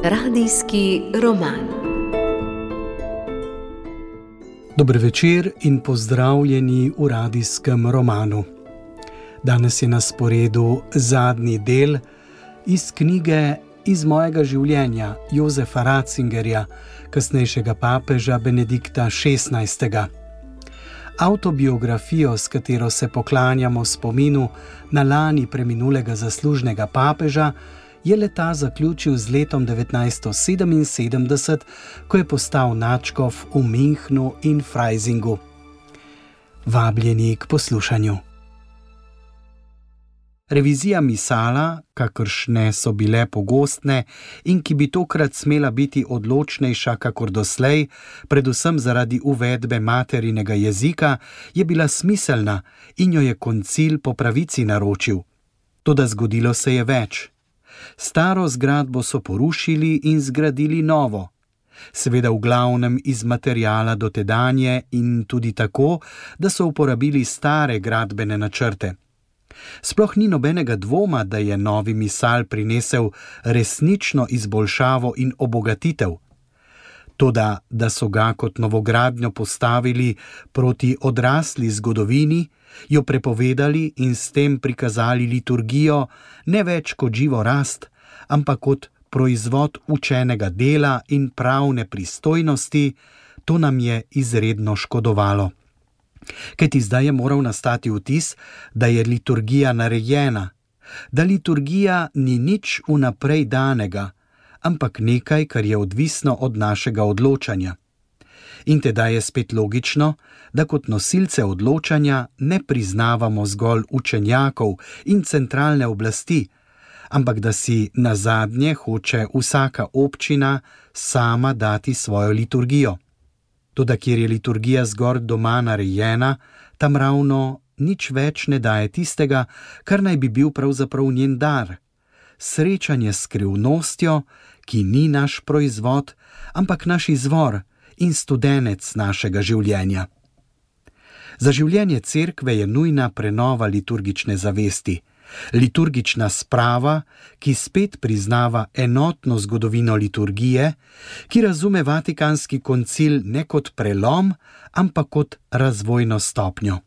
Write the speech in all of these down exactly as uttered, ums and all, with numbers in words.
Radijski roman. Dober večer in pozdravljeni v radijskem romanu. Danes je na sporedu zadnji del iz knjige Iz mojega življenja Josefa Ratzingerja, kasnejšega papeža Benedikta šestnajstega. Avtobiografijo, s katero se poklanjamo spominu na lani preminulega zaslužnega papeža, je le-ta zaključil z letom devetnajststo sedeminsedemdeset, ko je postal nadškof v Münchnu in Freisingu. Vabljeni k poslušanju. Revizija misala, kakršne so bile pogostne in ki bi tokrat smela biti odločnejša kakor doslej, predvsem zaradi uvedbe materinega jezika, je bila smiselna in jo je koncil po pravici naročil. Toda zgodilo se je več. Staro zgradbo so porušili in zgradili novo. Seveda v glavnem iz materiala dotedanje in tudi tako, da so uporabili stare gradbene načrte. Sploh ni nobenega dvoma, da je novi misal prinesel resnično izboljšavo in obogatitev. Toda, da so ga kot novogradnjo postavili proti odrasli zgodovini, jo prepovedali in s tem prikazali liturgijo ne več kot živo rast, ampak kot proizvod učenega dela in pravne pristojnosti, to nam je izredno škodovalo. Kajti zdaj je moral nastati vtis, da je liturgija narejena, da liturgija ni nič vnaprej danega, ampak nekaj, kar je odvisno od našega odločanja. In teda je spet logično, da kot nosilce odločanja ne priznavamo zgolj učenjakov in centralne oblasti, ampak da si nazadnje hoče vsaka občina sama dati svojo liturgijo. Toda kjer je liturgija zgolj doma narejena, tam ravno nič več ne daje tistega, kar naj bi bil pravzaprav njen dar. Srečanje s skrivnostjo, ki ni naš proizvod, ampak naš izvor in studenec našega življenja. Za življenje cerkve je nujna prenova liturgične zavesti. Liturgična sprava, ki spet priznava enotno zgodovino liturgije, ki razume Vatikanski koncil ne kot prelom, ampak kot razvojno stopnjo.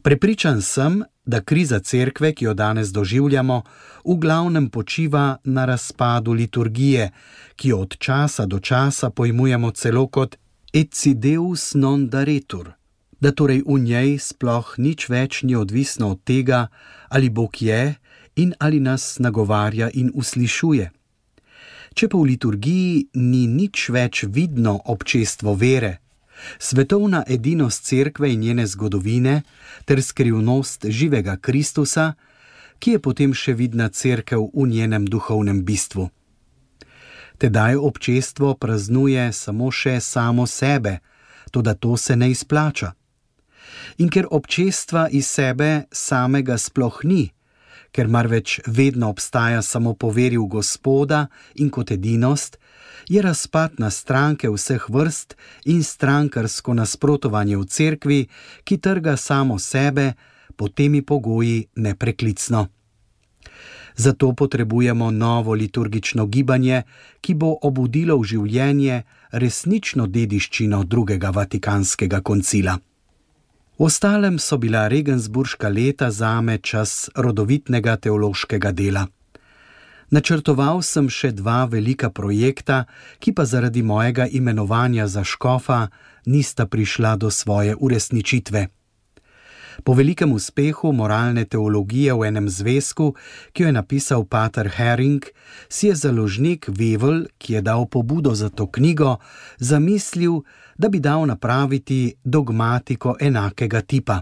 Prepričan sem, da kriza cerkve, ki jo danes doživljamo, v glavnem počiva na razpadu liturgije, ki jo od časa do časa pojmujemo celo kot etsi deus non daretur, da torej v njej sploh nič več ni odvisno od tega, ali Bog je in ali nas nagovarja in uslišuje. Če pa v liturgiji ni nič več vidno občestvo vere, svetovna edinost cerkve in njene zgodovine ter skrivnost živega Kristusa, ki je potem še vidna cerkev v njenem duhovnem bistvu. Tedaj občestvo praznuje samo še samo sebe, toda to se ne izplača. In ker občestva iz sebe samega sploh ni, ker marveč vedno obstaja samo po veri v Gospoda in kot edinost, je razpad na stranke vseh vrst in strankarsko nasprotovanje v cerkvi, ki trga samo sebe, pod temi pogoji nepreklicno. Zato potrebujemo novo liturgično gibanje, ki bo obudilo v življenje resnično dediščino drugega Vatikanskega koncila. V ostalem so bila regensburška leta zame čas rodovitnega teološkega dela. Načrtoval sem še dva velika projekta, ki pa zaradi mojega imenovanja za škofa nista prišla do svoje uresničitve. Po velikem uspehu moralne teologije v enem zvezku, ki jo je napisal pater Hering, si je založnik Wevel, ki je dal pobudo za to knjigo, zamislil, da bi dal napraviti dogmatiko enakega tipa.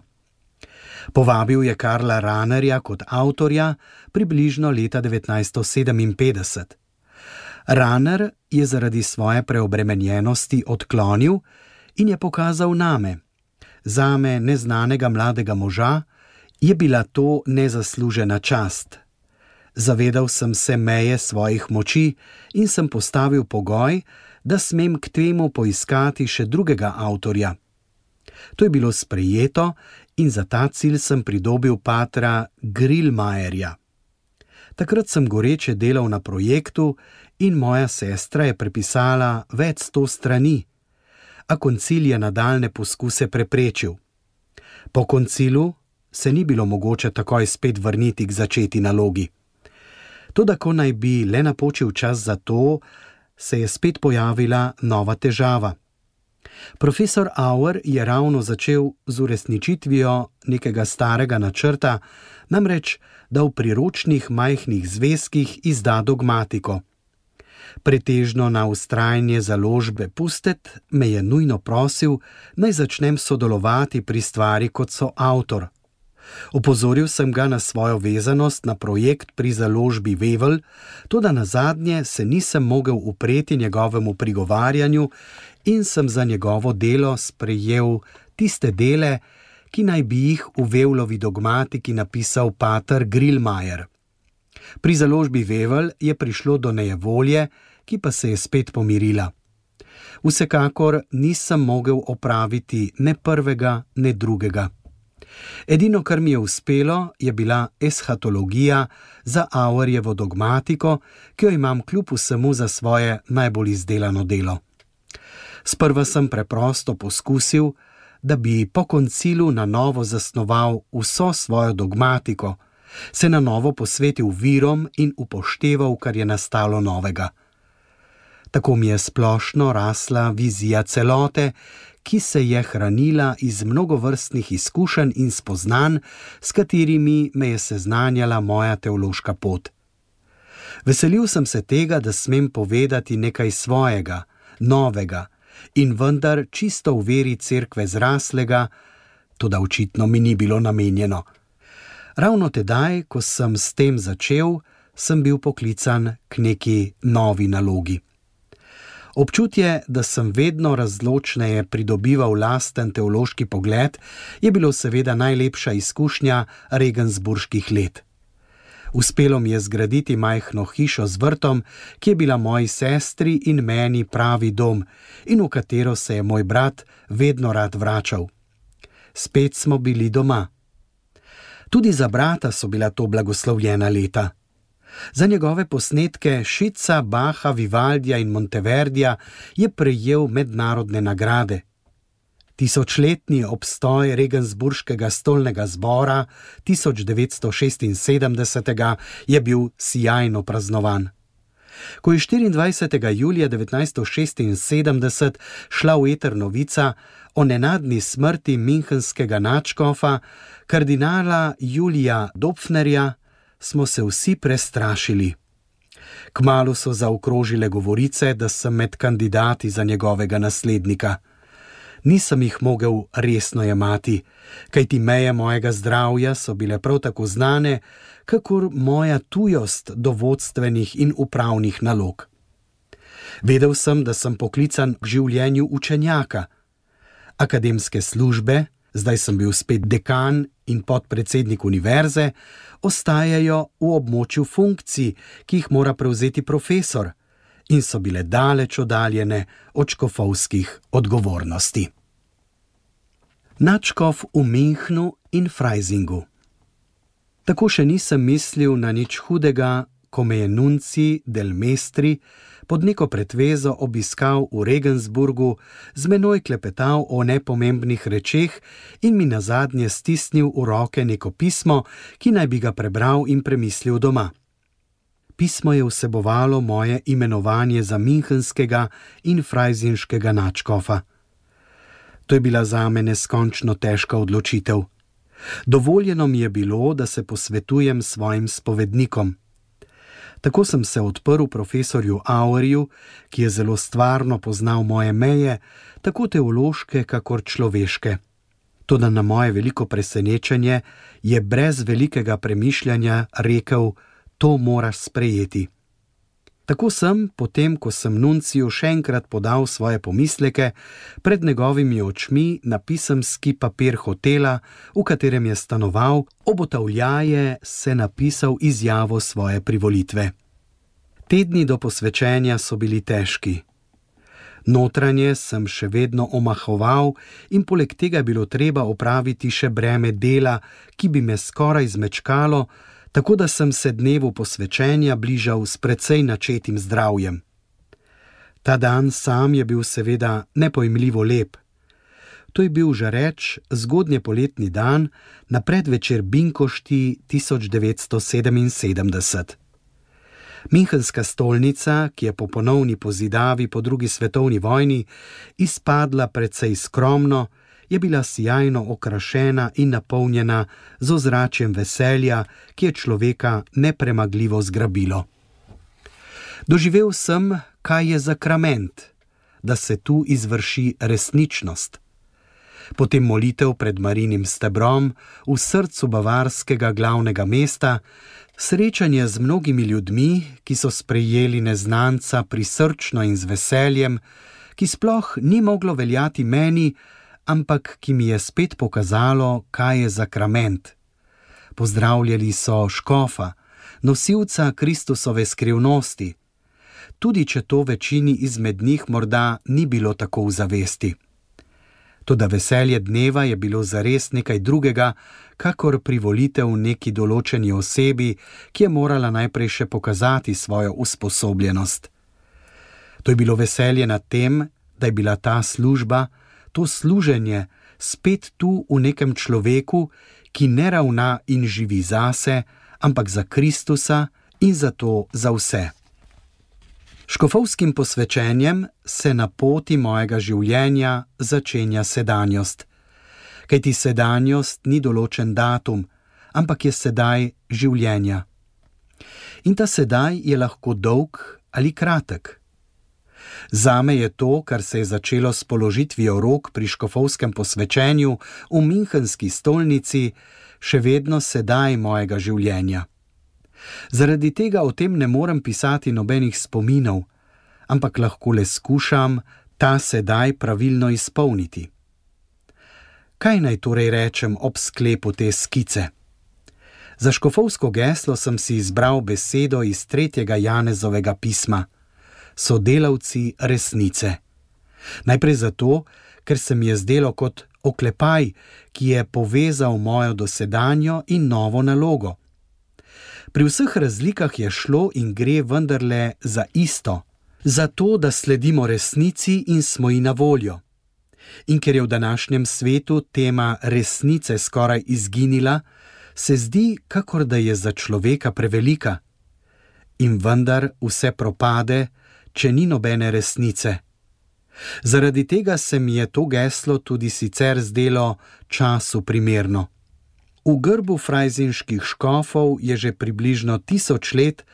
Povabil je Karla Rahnerja kot avtorja približno leta devetnajststo sedeminpetdeset. Rahner je zaradi svoje preobremenjenosti odklonil in je pokazal name. Zame neznanega mladega moža je bila to nezaslužena čast. Zavedal sem se meje svojih moči in sem postavil pogoj, da smem k temu poiskati še drugega avtorja. To je bilo sprejeto in za ta cilj sem pridobil patra Grillmajerja. Takrat sem goreče delal na projektu in moja sestra je prepisala več sto strani, a koncil je nadaljne poskuse preprečil. Po koncilu se ni bilo mogoče takoj spet vrniti k začeti nalogi. Toda ko naj bi le napočil čas za to, se je spet pojavila nova težava. Profesor Auer je ravno začel z uresničitvijo nekega starega načrta, namreč, da v priročnih majhnih zvezkih izda dogmatiko. Pretežno na vztrajanje založbe Pustet me je nujno prosil, naj začnem sodelovati pri stvari kot soavtor. Opozoril sem ga na svojo vezanost na projekt pri založbi Vevel, toda nazadnje se nisem mogel upreti njegovemu prigovarjanju in sem za njegovo delo sprejel tiste dele, ki naj bi jih v Vevlovi dogmatiki napisal pater Grillmajer. Pri založbi Vevel je prišlo do nejevolje, ki pa se je spet pomirila. Vsekakor nisem mogel opraviti ne prvega, ne drugega. Edino, kar mi je uspelo, je bila eshatologija za Auerjevo dogmatiko, ki jo imam kljub vsemu za svoje najbolj izdelano delo. Sprva sem preprosto poskusil, da bi po koncilu na novo zasnoval vso svojo dogmatiko, se na novo posvetil virom in upošteval, kar je nastalo novega. Tako mi je splošno rasla vizija celote, ki se je hranila iz mnogovrstnih izkušenj in spoznanj, s katerimi me je seznanjala moja teološka pot. Veselil sem se tega, da smem povedati nekaj svojega, novega in vendar čisto v veri cerkve zraslega, toda očitno mi ni bilo namenjeno. Ravno tedaj, ko sem s tem začel, sem bil poklican k neki novi nalogi. Občutje, da sem vedno razločneje pridobival lasten teološki pogled, je bilo seveda najlepša izkušnja regensburških let. Uspelo mi je zgraditi majhno hišo z vrtom, ki je bila moji sestri in meni pravi dom in v katero se je moj brat vedno rad vračal. Spet smo bili doma. Tudi za brata so bila to blagoslovljena leta. Za njegove posnetke Šica, Bacha, Vivaldija in Monteverdija je prejel mednarodne nagrade. Tisočletni obstoj regensburškega stolnega zbora tisoč devetsto šestinsedemdesetega je bil sijajno praznovan. Ko je štiriindvajsetega julija devetnajststo šestinsedemdeset šla v eter novica o nenadni smrti münchenskega nadškofa, kardinala Julija Dopfnerja, smo se vsi prestrašili. Kmalu so zaokrožile govorice, da sem med kandidati za njegovega naslednika. Nisem jih mogel resno jemati, kajti meje mojega zdravja so bile prav tako znane, kakor moja tujost do vodstvenih in upravnih nalog. Vedel sem, da sem poklican k življenju učenjaka. Akademske službe, zdaj sem bil spet dekan in podpredsednik univerze, ostajajo v območju funkcij, ki jih mora prevzeti profesor, in so bile daleč oddaljene od škofovskih odgovornosti. Nadškof v Münchnu in Freisingu. Tako še nisem mislil na nič hudega, ko me je nunci del Mestri pod neko pretvezo obiskal v Regensburgu, z menoj klepetal o nepomembnih rečeh in mi nazadnje stisnil v roke neko pismo, ki naj bi ga prebral in premislil doma. Pismo je vsebovalo moje imenovanje za münchenskega in frajzinškega nadškofa. To je bila zame neskončno težka odločitev. Dovoljeno mi je bilo, da se posvetujem s svojim spovednikom. Tako sem se odprl profesorju Auerju, ki je zelo stvarno poznal moje meje, tako teološke kakor človeške. Toda na moje veliko presenečenje je brez velikega premišljanja rekel: to moraš sprejeti. Tako sem, potem ko sem nunciju še enkrat podal svoje pomisleke, pred njegovimi očmi na pisemski papir hotela, v katerem je stanoval, obotavljaje se napisal izjavo svoje privolitve. Tedni do posvečenja so bili težki. Notranje sem še vedno omahoval in poleg tega je bilo treba opraviti še breme dela, ki bi me skoraj zmečkalo, tako da sem se dnevu posvečenja bližal s precej načetim zdravjem. Ta dan sam je bil seveda nepojmljivo lep. To je bil žareč zgodnje poletni dan na predvečer Binkošti tisoč devetsto sedeminsedemdeset. Münchenska stolnica, ki je po ponovni pozidavi po drugi svetovni vojni izpadla precej skromno, je bila sijajno okrašena in napolnjena z ozračjem veselja, ki je človeka nepremagljivo zgrabilo. Doživel sem, kaj je zakrament, da se tu izvrši resničnost. Potem molitev pred Marijinim stebrom v srcu bavarskega glavnega mesta, srečanje z mnogimi ljudmi, ki so sprejeli neznanca prisrčno in z veseljem, ki sploh ni moglo veljati meni, ampak ki mi je spet pokazalo, kaj je zakrament. Pozdravljali so škofa, nosilca Kristusove skrivnosti, tudi če to večini izmed njih morda ni bilo tako v zavesti. Toda veselje dneva je bilo zares nekaj drugega, kakor privolitev neki določeni osebi, ki je morala najprej še pokazati svojo usposobljenost. To je bilo veselje nad tem, da je bila ta služba, to služenje spet tu v nekem človeku, ki ne ravna in živi zase, ampak za Kristusa in zato za vse. Škofovskim posvečenjem se na poti mojega življenja začenja sedanjost. Kajti sedanjost ni določen datum, ampak je sedaj življenja. In ta sedaj je lahko dolg ali kratek. Zame je to, kar se je začelo s položitvijo rok pri škofovskem posvečenju v Münchenski stolnici, še vedno sedaj mojega življenja. Zaradi tega o tem ne morem pisati nobenih spominov, ampak lahko le skušam ta sedaj pravilno izpolniti. Kaj naj torej rečem ob sklepu te skice? Za škofovsko geslo sem si izbral besedo iz tretjega Janezovega pisma: sodelavci resnice. Najprej zato, ker se mi je zdelo kot oklepaj, ki je povezal mojo dosedanjo in novo nalogo. Pri vseh razlikah je šlo in gre vendarle za isto, za to, da sledimo resnici in smo ji na voljo. In ker je v današnjem svetu tema resnice skoraj izginila, se zdi, kakor da je za človeka prevelika. In vendar vse propade, če ni nobene resnice. Zaradi tega se mi je to geslo tudi sicer zdelo času primerno. V grbu frajzinških škofov je že približno tisoč let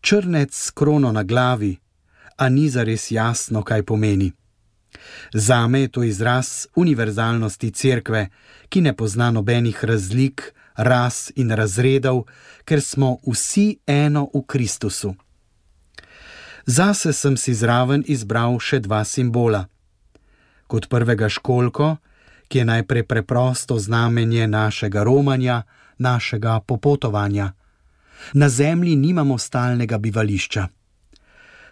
črnec s krono na glavi, a ni zares jasno, kaj pomeni. Zame je to izraz univerzalnosti cerkve, ki ne pozna nobenih razlik, ras in razredov, ker smo vsi eno v Kristusu. Zase sem si zraven izbral še dva simbola. Kot prvega školjko, ki je najprej preprosto znamenje našega romanja, našega popotovanja. Na zemlji nimamo stalnega bivališča.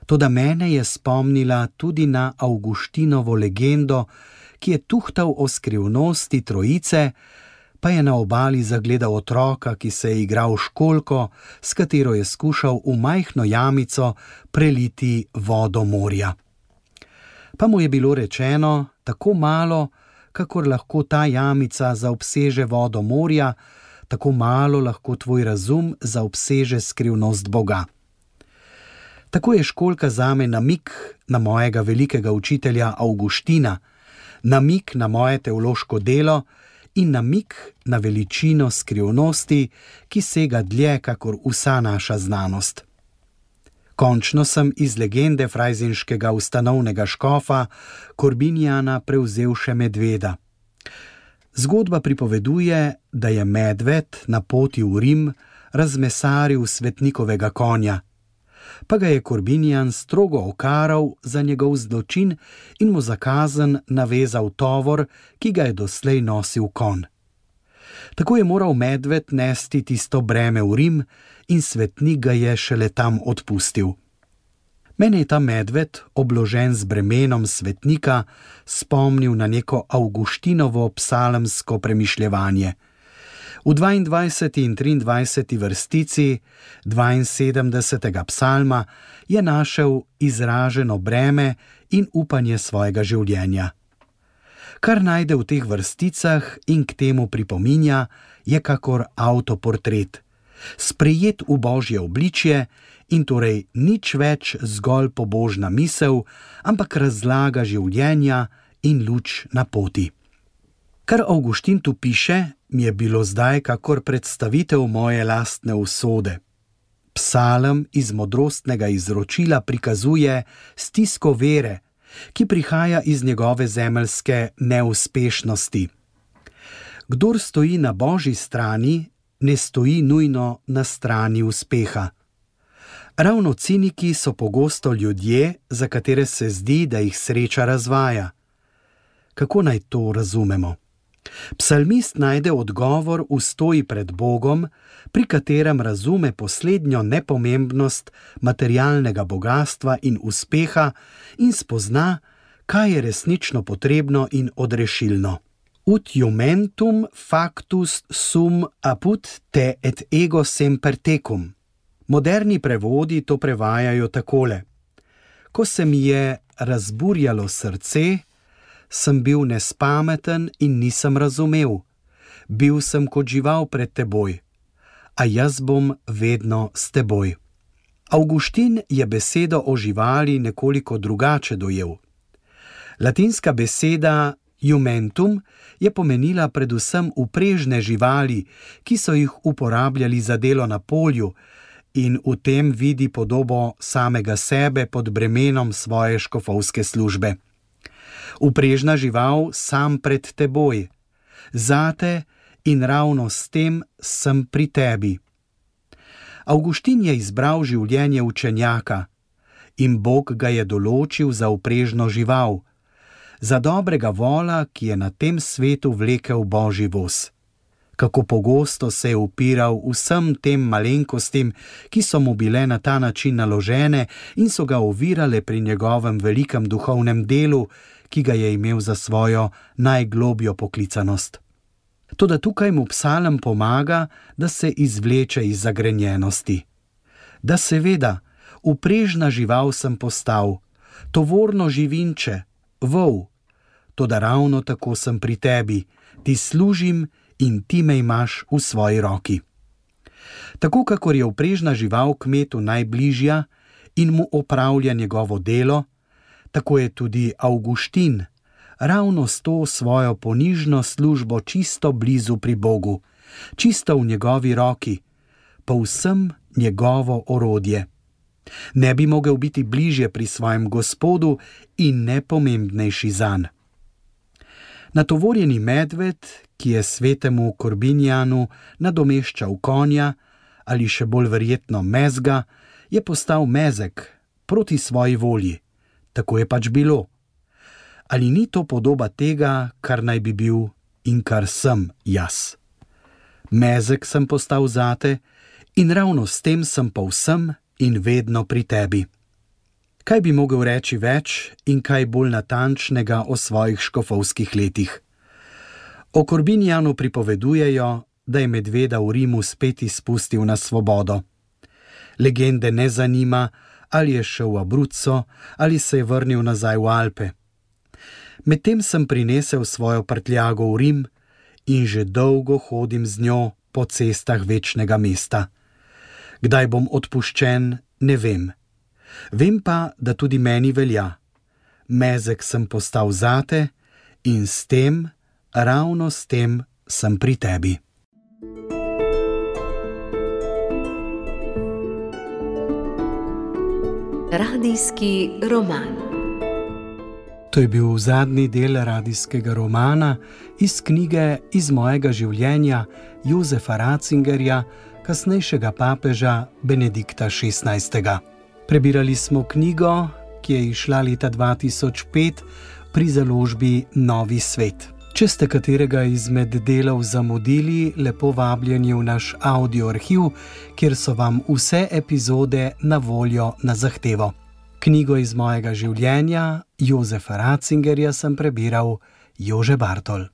Toda mene je spomnila tudi na Avguštinovo legendo, ki je tuhtal o skrivnosti trojice, pa je na obali zagledal otroka, ki se je igral školjko, s katero je skušal v majhno jamico preliti vodo morja. Pa mu je bilo rečeno tako malo, kakor lahko ta jamica zaobseže vodo morja, tako malo lahko tvoj razum zaobseže skrivnost Boga. Tako je školjka zame namig na mojega velikega učitelja Avguština, namig na moje teološko delo in namig na veličino skrivnosti, ki sega dlje kakor vsa naša znanost. Končno sem iz legende frajzinškega ustanovnega škofa Korbinjana prevzel še medveda. Zgodba pripoveduje, da je medved na poti v Rim razmesaril svetnikovega konja, pa ga je Korbinjan strogo okaral za njegov zločin in mu za kazen navezal tovor, ki ga je doslej nosil konj. Tako je moral medved nesti tisto breme v Rim in svetnik ga je šele tam odpustil. Mene je ta medved, obložen z bremenom svetnika, spomnil na neko Avguštinovo psalemsko premišljevanje. V dvaindvajseti in triindvajseti vrstici dvainsedemdesetega psalma je našel izraženo breme in upanje svojega življenja. Kar najde v teh vrsticah in k temu pripominja, je kakor avtoportret, sprejet v Božje obličje in torej nič več zgolj pobožna misel, ampak razlaga življenja in luč na poti. Kar Avguštin tu piše, mi je bilo zdaj kakor predstavitev moje lastne usode. Psalm iz modrostnega izročila prikazuje stisko vere, ki prihaja iz njegove zemeljske neuspešnosti. Kdor stoji na Božji strani, ne stoji nujno na strani uspeha. Ravno ciniki so pogosto ljudje, za katere se zdi, da jih sreča razvaja. Kako naj to razumemo? Psalmist najde odgovor v stoji pred Bogom, pri katerem razume poslednjo nepomembnost materialnega bogastva in uspeha in spozna, kaj je resnično potrebno in odrešilno. Ut iumentum factus sum apud te et ego semper tecum. Moderni prevodi to prevajajo takole: ko se mi je razburjalo srce, sem bil nespameten in nisem razumel. Bil sem kot žival pred teboj, a jaz bom vedno s teboj. Avguštin je besedo o živali nekoliko drugače dojel. Latinska beseda iumentum je pomenila predvsem uprežne živali, ki so jih uporabljali za delo na polju, in v tem vidi podobo samega sebe pod bremenom svoje škofovske službe. Uprežna žival sam pred teboj, zate in ravno s tem sem pri tebi. Avguštin je izbral življenje učenjaka in Bog ga je določil za uprežno žival, za dobrega vola, ki je na tem svetu vlekel Božji voz. Kako pogosto se je upiral vsem tem malenkostim, ki so mu bile na ta način naložene in so ga ovirale pri njegovem velikem duhovnem delu, ki ga je imel za svojo najglobjo poklicanost. Toda tukaj mu psalm pomaga, da se izvleče iz zagrenjenosti. Da seveda, uprežna žival sem postal, tovorno živinče, vol, toda ravno tako sem pri tebi, ti služim in ti me imaš v svoji roki. Tako kakor je uprežna žival kmetu najbližja in mu opravlja njegovo delo, tako je tudi Avguštin ravno s to svojo ponižno službo čisto blizu pri Bogu, čisto v njegovi roki, povsem njegovo orodje. Ne bi mogel biti bližje pri svojem Gospodu in nepomembnejši zanj. Natovorjeni medved, ki je svetemu Korbinjanu nadomeščal konja ali še bolj verjetno mezga, je postal mezek proti svoji volji. Tako je pač bilo. Ali ni to podoba tega, kar naj bi bil in kar sem jaz? Mezek sem postal zate in ravno s tem sem povsem in vedno pri tebi. Kaj bi mogel reči več in kaj bolj natančnega o svojih škofovskih letih? O Korbinjanu pripovedujejo, da je medveda v Rimu spet izpustil na svobodo. Legende ne zanima, ali je šel v Abruzzo ali se je vrnil nazaj v Alpe. Medtem sem prinesel svojo prtljago v Rim in že dolgo hodim z njo po cestah večnega mesta. Kdaj bom odpuščen, ne vem. Vem pa, da tudi meni velja. Mezek sem postal zate in s tem, ravno s tem, sem pri tebi. Radijski roman. To je bil zadnji del radijskega romana iz knjige Iz mojega življenja Josefa Ratzingerja, kasnejšega papeža Benedikta šestnajstega. Prebirali smo knjigo, ki je izšla leta dva tisoč pet pri založbi Novi svet. Če ste katerega izmed delov zamudili, lepo vabljeni v naš audio arhiv, kjer so vam vse epizode na voljo na zahtevo. Knjigo Iz mojega življenja Josefa Ratzingerja sem prebiral Jože Bartol.